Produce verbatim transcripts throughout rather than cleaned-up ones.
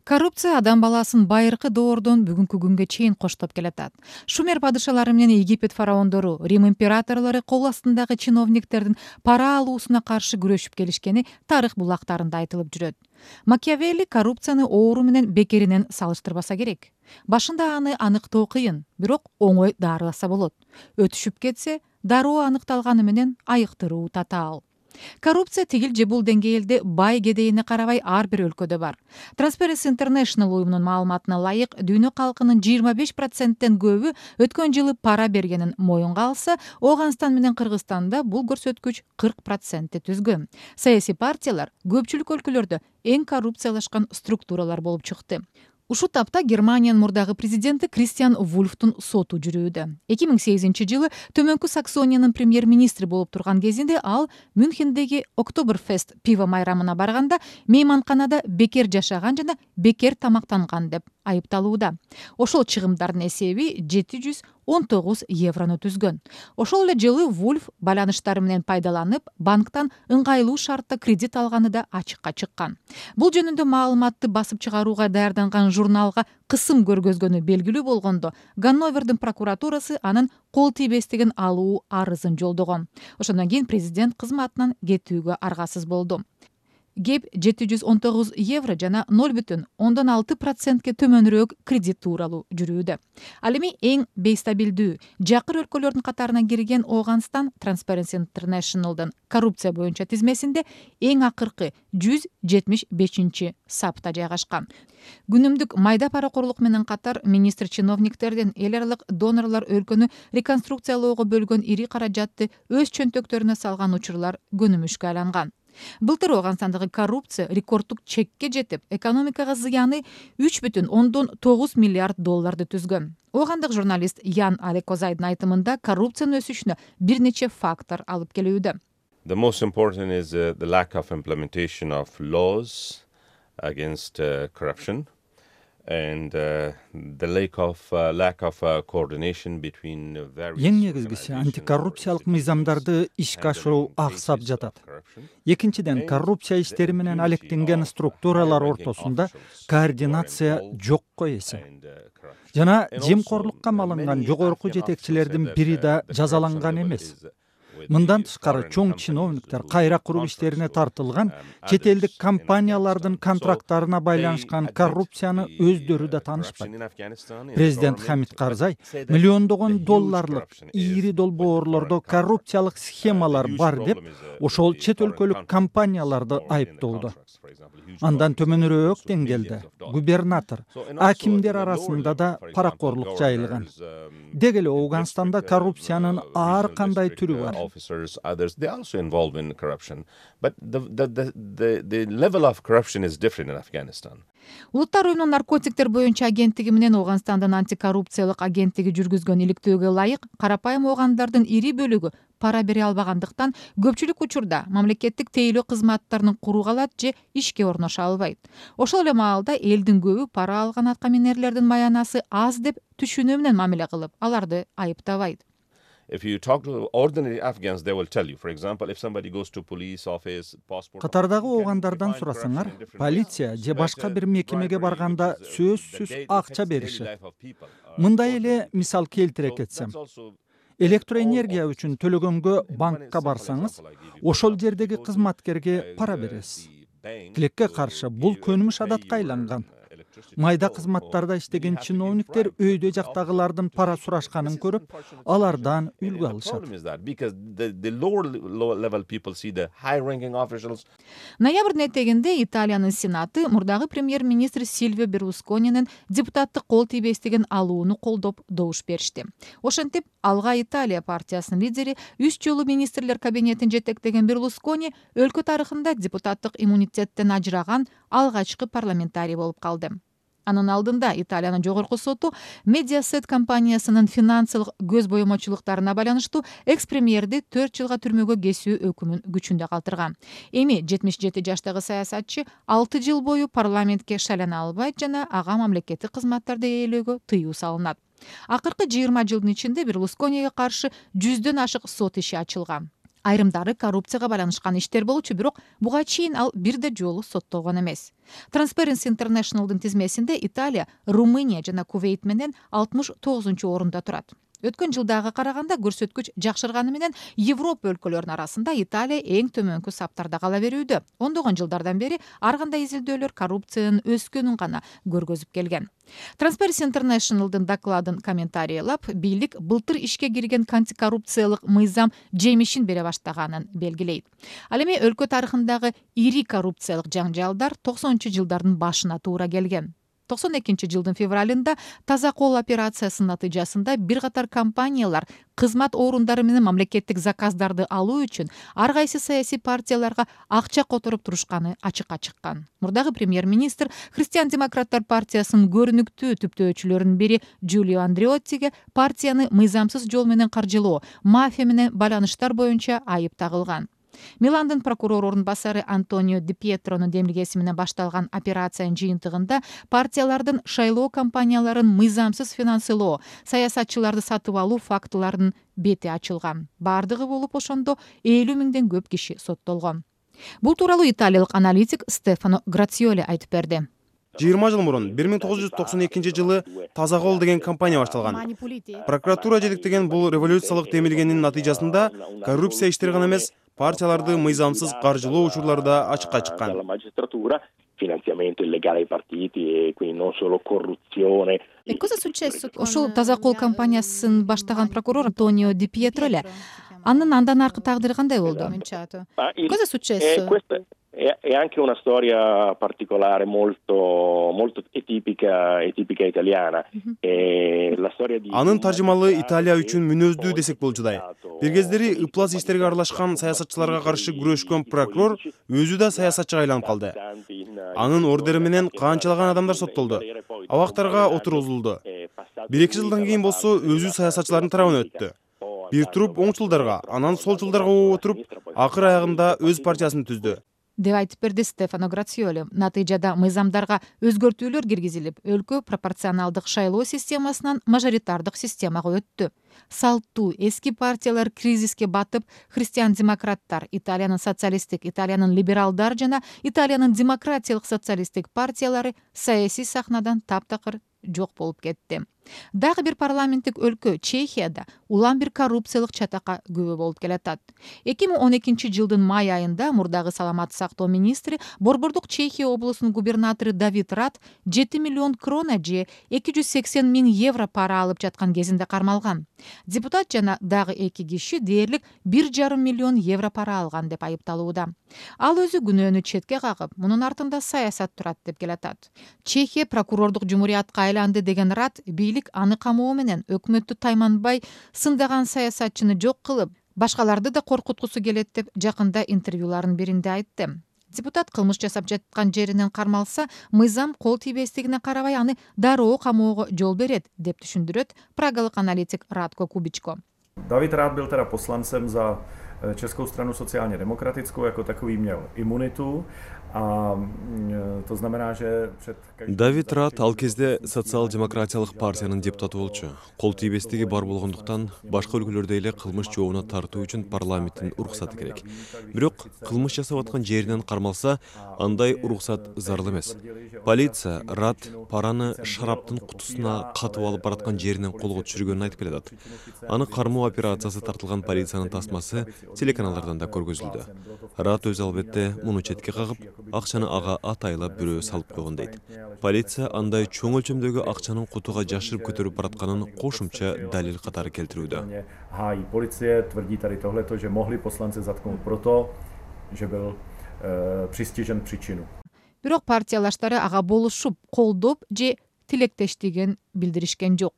Коррупция адам баласын байыркы доордон бүгүнкү күнгө чейин коштоп келатат. Шумер падышалары менен Египет фараондору, Рим императорлору кол астындагы чиновниктердин пара алуусуна каршы күрөшүп келишкени тарых булактарында айтылып жүрөт. Макиавелли коррупцияны оору менен бекеринен салыштырбаса керек. Башында аны аныктоо кыйын, бирок оңой дарыласа болот. Өтүшүп кетсе, дароо аныкталганы менен айыктыруу татаал. Коррупция тигил же бул деңгээлде бай кедейине карабай ар бир өлкөдө бар. Transparency International уюмунун маалыматына ылайык, дүйнө калкынын жыйырма беш проценттен көбү өткөн жылы пара бергенин моюнга алса, Ооганстан менен Кыргызстанда бул көрсөткүч кырк процентти түзгөн. Саясий партиялар көпчүлүк өлкөлөрдө эң коррупциялашкан структуралар болуп чыкты. Ушул тапта Германиянын мурдагы президенти Кристиан Вульфтун соту жүрүүдө. эки миң сегизинчи жылы Төмөнкү Саксониянын премьер-министри болуп турган кезинде ал Мюнхендеги Октоберфест пиво майрамына барганда мейманканада бекер жашаган жана бекер тамактанган деп айыпталууда. Ошол чыгымдардын эсеби жети жүз он тогуз еврону түзгөн. Ошол эле жылы Вульф байланыштары менен пайдаланып, банктан ыңгайлуу шартта кредит алганы да ачыкка чыккан. Бул жөнүндө маалыматты басып чыгарууга даярданган журналга кысым көргөзгөнү белгилүү болгондо, Ганновердин прокуратурасы анын кол тийбестигин алуу арызын жолдогон. Ошондон кийин президент кызматынан кетүүгө аргасыз болду. Кеп жети жүз он тогуз евро жана ноль бүтүн ондон алты процентке төмөнүрөөк кредит тууралуу жүрүүдө. Ал эми эң бейстабилдүү жакыр өлкөлөрдүн катарына кирген Ооганстан Transparency International'дын коррупция боюнча тизмесинде эң акыркы жүз жетимиш бешинчи сапта жайгашкан. Күнүмдүк майда паракорлук менен катар министр чиновниктердин эл аралык донорлор өлкөнү реконструкциялоого бөлгөн ири каражатты өз чөнтөктөрүнө салган учурлар көнүмүшкө айланган. Былтыр Ооганстандагы коррупция рекорддук чекке жетип, экономикага зыяны үч бүтүн ондон тогуз миллиард долларды түзгөн. Оогандык журналист Ян Алекозайдын айтымында коррупциянын өсүшүнө бир нече фактор алып келүүдө. The most important is uh, the lack of implementation of laws against uh, corruption and uh, the lack of uh, lack of uh, coordination between various. Эң негизгиси антикоррупциялык мыйзамдарды ишке ашыруу аксап жатат. Экинчиден, коррупция иштери менен алектенген структуралар ортосунда координация жокко эсе. Жана жемкорлукка малынган жогорку жетекчилердин бири да жазаланган эмес. Мындан тышкары чоң чиновниктер кайра куруу иштерине тартылган чет элдик компаниялардын контракттарына байланышкан коррупцияны өздөрү да таанышпайт. Президент Хамид Карзай миллиондогон долларлык ири долбоорлордо коррупциялык схемалар бар деп ошол чет өлкөлүк компанияларды айыптоодо. Андан төмөнүрөөк деңгээлде губернатор, акимдер арасында да паракорлук жайылган. Деги эле Ооганстанда коррупциянын ар кандай түрү бар. Officers, others, they are also involved in corruption. But the, the, the, the, the level of corruption is different in Afghanistan. Улуттар уюмунун наркотиктер боюнча агенттиги менен Ооганстандын антикоррупциялык агенттиги жүргүзгөн иликтөөгө ылайык, карапайым оогандардын ири бөлүгү пара бере албагандыктан көпчүлүк учурда мамлекеттик тейлөө кызматтарын курууга алат же ишке орношо албайт. Ошол эле маалда элдин көбү пара алган аткаминерлердин маянасы аз деп түшүнүү менен мамиле кылып, аларды айыптабайт. If you talk to ordinary Afghans, they will tell you, for example, if somebody goes to police office, passport. Катардагы оогандардан сурасаңар, полиция же башка бир мекемеге барганда сөзсүз акча беришет. Мындай эле мисал келтире кетсем, электроэнергия үчүн төлөгөнгө банкка барсаңыз, ошол жердеги кызматкерге пара бересиз. Тилекке каршы бул көнүмүш адатка айланган. Майда кызматтарда иштеген чиновниктер өйдө жактагылардын пара сурашканын көрүп, алардан үлгү алышат. Ноябрдын этегинде Италиянын Сенаты мурдагы премьер-министр Сильвио Берлусконинин депутаттык кол тийбестигин алууну колдоп добуш беришти. Ошентип, Алга Италия партиясынын лидери үч жолу министрлер кабинетин жетектеген Берлускони өлкө тарыхында депутаттык иммунитеттен ажыраган алгачкы парламентарий болуп калды. Анын алдында Италиянын жогорку соту Mediaset компаниясынын финансылык көз боемочулуктарына байланыштуу экс-премьерди төрт жылга түрмөгө кесүү өкүмүн күчүндө калтырган. Эми жетимиш жети жаштагы саясатчы алты жыл бою парламентке шайлана албайт жана ага мамлекеттик кызматтарды ээлөөгө тыюу салынат. Акыркы жыйырма жылдын ичинде Берлускониге каршы жүздөн ашык сот иши ачылган. Айрымдары коррупцияга байланышкан иштер болчу, бирок буга чейин ал бир да жолу соттолгон эмес. Transparency International'дын тизмесинде Италия, Румыния жана Кувейт менен алтымыш тогузунчу орунда турат. Өткөн жылдагы караганда көрсөткүч жакшырганы менен Европа өлкөлөрүнүн арасында Италия эң төмөнкү саптарда кала берүүдө. Ондогон жылдардан бери ар кандай изилдөөлөр коррупциянын өскөнүн гана көргөзүп келген. Transparency International'дын докладын комментарийлап, бийлик былтыр ишке кирген антикоррупциялык мыйзам жемишин бере баштаганын белгилейт. Ал эми өлкө тарыхындагы ири коррупциялык жаңжалдар токсонунчу жылдардын башына туура келген. токсон экинчи жылдын февралында Таза кол операциясынын натыйжасында бир катар компаниялар кызмат орундары менен мамлекеттик заказдарды алуу үчүн ар кайсы саясий партияларга акча которуп турушканы ачыкка чыккан. Мурдагы премьер-министр Христиан-демократтар партиясынын көрүнүктүү түптөөчүлөрүнүн бири Джулио Андреоттиге партияны мыйзамсыз жол менен каржылоо, мафия менен байланыштар боюнча айып тагылган. Миландын прокурор орун басары Антонио Ди Пьетронун демилгеси менен башталган операциянын жыйынтыгында партиялардын шайлоо кампанияларын мыйзамсыз финансылоо, саясатчыларды сатып алуу фактыларынын бети ачылган. Бардыгы болуп ошондо элүү миңден көп киши соттолгон. Бул тууралуу италиялык аналитик Стефано Грациоли айтып берди. жыйырма жыл мурун бир миң тогуз жүз токсон экинчи жылы Таза кол деген компания башталган. Прокуратура жетектеген бул революциялык демилгенин натыйжасында коррупция иштери гана эмес, партияларды мыйзамсыз каржылоо учурлары да ачыкка чыккан. Finanziamento illegale ai partiti e quindi non solo corruzione. E cosa è successo? Ошол Таза кол компаниясын баштаган прокурор Антонио Ди Пьетро эле. Анын андан аркы тагдыры кандай болду? Cosa è successo? È, è anche una storia particolare, molto molto tipica e tipica italiana. E la storia di Анын таржымалы Италия үчүн мүнөздүү десек болчудай. Бир кездери ыплас иштерге аралашкан саясатчыларга каршы күрөшкөн прокурор өзү да саясатчыга айланып калды. Анын ордери менен канчалаган адамдар соттолду. Абактарга отургузулду. бир эки жылдан кийин болсо өзү саясатчылардын тарабына өттү. Бир туруп оңчулдарга, анан солчулдарга отуруп, акыр аягында өз партиясын түздү. деп айтып берди Стефано Грациоли. Натыйжада мыйзамдарга өзгөртүүлөр киргизилип, өлкө пропорционалдык шайлоо системасынан мажоритардык системага өттү. Салттуу эски партиялар кризиске батып, христиан-демократтар, Италиянын социалисттик, Италиянын либералдар жана Италиянын демократиялык социалисттик партиялары саясий сахнадан таптакыр жок болуп кетти. Дагы бир парламенттик өлкө Чехияда улам бир коррупциялык чатакка күбө болуп келатат. эки миң он экинчи жылдын май айында мурдагы саламаттык сактоо министри, Борбордук Чехия облусунун губернатору Давид Рат жети миллион крона же эки жүз сексен миң евро пара алып жаткан кезинде кармалган. Депутат жана дагы эки киши дээрлик бир жарым миллион евро пара алган деп айыпталууда. Ал өзү күнөөнү четке кагып, мунун артында саясат турат деп келатат. Чехия прокурордук жумуриятка айланды деген Рат бийлик аны камоо менен өкмөттү тайманбай сындаган саясатчыны жок кылып, башкаларды да коркуткусу келет деп жакында интервьюларынын биринде айтты. Депутат кылмыш жасап жаткан жеринен кармалса, мыйзам кол тийбестигине карабай аны дароо камоого жол берет деп түшүндүрөт прагалык аналитик Радко Кубичко. David Rath byl teda poslancem za Českou stranu sociálně demokratickou, jako takový měl imunitu. A to znamená, že před Давид Рат ал кезде социал-демократиялык партиянын депутаты болчу. Кол тийбестиги бар болгондуктан башка өлкөлөрдө эле кылмыш жообуна тартуу үчүн парламенттин уруксаты керек. Бирок кылмыш жасап аткан жеринен кармалса, андай уруксат зарыл эмес. Полиция Рат параны шараптын кутусуна катып алып бараткан жеринен колго түшүргөнүн айтып келатат. Аны кармоо операциясы тартылган полициянын тасмасы телеканалдардан да көргөзүлдү. Рат өзү албетте муну четке кагып, акчаны ага атайлап бирөө салып койгон дейт. Полиция андай чоң өлчөмдөгү акчанын кутуга жашырып көтөрүп баратканын кошумча далил катары келтирүүдө. Hájí policie tvrdí tady tohleto, že mohli poslance zatknout proto, že byl přistižen příčinu. Бирок партиялаштары ага болушуп, колдоп же тилектештигин билдиришкен жок.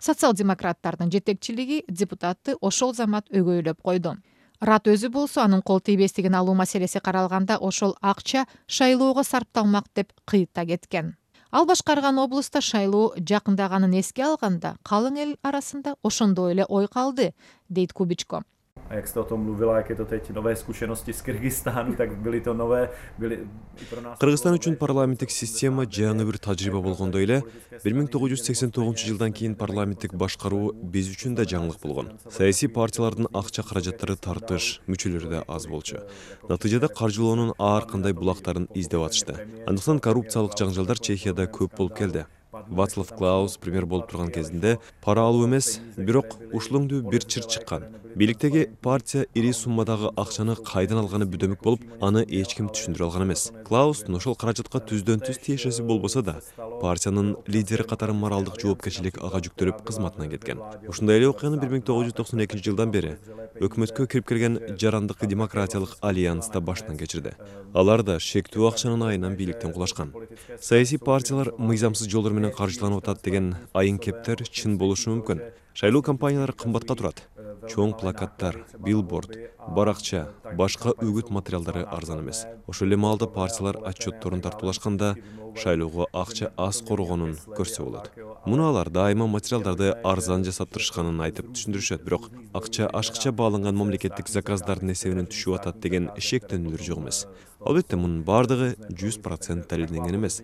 Социал-демократтардын жетекчилиги депутатты ошол замат өгөйлөп койду. Рат өзү болсо анын кол тийбестигин алуу маселеси каралганда ошол акча шайлоого сарпталмак деп кыйытта кеткен. Ал башкарган облуста шайлоо жакындаганын эске алганда, калың эл арасында ошондой эле ой калды, дейт Кубичко. A jak jste o tom mluvila, jak je to teď nové zkušenosti z Kyrgyzstánu, tak byly to nové, byly i pro nás. Кыргызстан үчүн парламенттик система жаңы бир тажрыйба болгондой эле бир миң тогуз жүз сексен тогузунчу жылдан кийин парламенттик башкаруу биз үчүн да жаңылык болгон. Саясий партиялардын акча каражаттары тартыш, мүчөлөрү да аз болчу. Натыйжада каржылоонун ар кандай булактарын издеп атышты. Андыктан коррупциялык жаңжалдар Чехияда көп болуп келди. Вацлав Клаус премьер болуп турган кезинде пара алуу эмес, бирок ушулуңдуу бир чыр чыккан. Бийликтеги партия ири суммадагы акчаны кайдан алганы бүдөмүк болуп, аны эч ким түшүндүрө алган эмес. Клаус ошол каражатка түздөн түз тиешеси болбосо да, партиянын лидери катары моралдык жоопкерчилик ага жүктөлүп кызматынан кеткен. Ушундай эле окуяны бир миң тогуз жүз токсон экинчи жылдан бери өкмөткө кирип келген Жарандык демократиялык альянс да баштан кечирди. Алар да шектүү акчанын айынан бийликтен кулашкан. Саясий партиялар мыйзамсыз жолдор менен каржыланып атат деген айын кептер чын болушу мүмкүн. Шайлоо кампаниялары кымбатка турат. Чоң плакаттар, билборд, баракча, башка үгүт материалдары арзан эмес. Ошол эле маалда партиялар отчетторун тартуулашканда шайлоого акча аз коргонун көрсө болот. Муну алар дайыма материалдарды арзан жасаптырышканын айтып түшүндүрүшөт, бирок акча ашыкча бааланган мамлекеттик заказдардын эсебинен түшүп атат деген шектенүүлөр жок эмес. Албетте мунун бардыгы жүз процент далилденген эмес.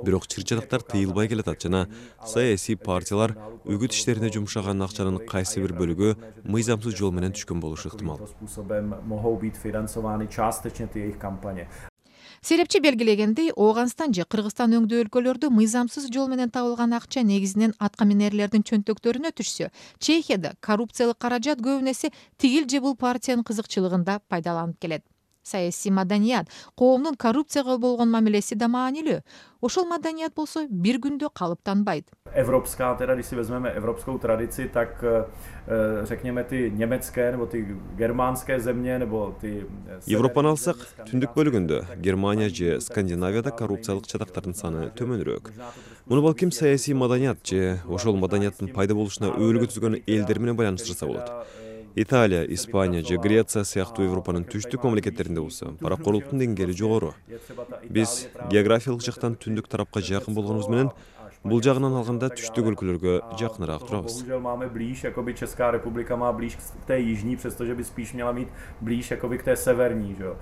Бирок чыр-чатактар тыйылбай келатат жана саясий партиялар үгүт иштерине жумшаган акчанын кайсы бир бөлүгү мыйзамсыз жол менен түшкөн болушу ыктымал. Серепчи белгилегендей, Ооганстан же Кыргызстан өңдүү өлкөлөрдө мыйзамсыз жол менен табылган акча негизинен атка минерлердин чөнтөктөрүнө түшсө, Чехияда коррупциялык каражат көбүн эсе тигил же бул партиянын кызыкчылыгында пайдаланып келет. Саясий маданият, коомдун коррупцияга болгон мамилеси да маанилүү. Ошол маданият болсо бир күндө калыптанбайт. Evropská, teda když si vezmeme evropskou tradici, tak řekněme ty německé nebo ty germánské země nebo ty Европаны алсак, түндүк бөлүгүндө Германия же Скандинавияда коррупциялык чатактардын саны төмөнүрөөк. Муну балким саясий маданият же ошол маданияттын пайда болушуна өбөлгө түзгөн элдер менен байланыштырса болот. Италия, Испания же Греция сыяктуу Европанын түштүк мамлекеттеринде болсо, паракорлуктун деңгээли жогору. Биз географиялык жактан түндүк тарапка жакын болгонубуз менен бул жагынан алганда түштүк өлкөлөргө жакыныраак турабыз. Bohužel máme blíž, jakoby Česká republika má blíž k té jižní, přestože by spíš měla mít blíž jakoby k té severní, že jo.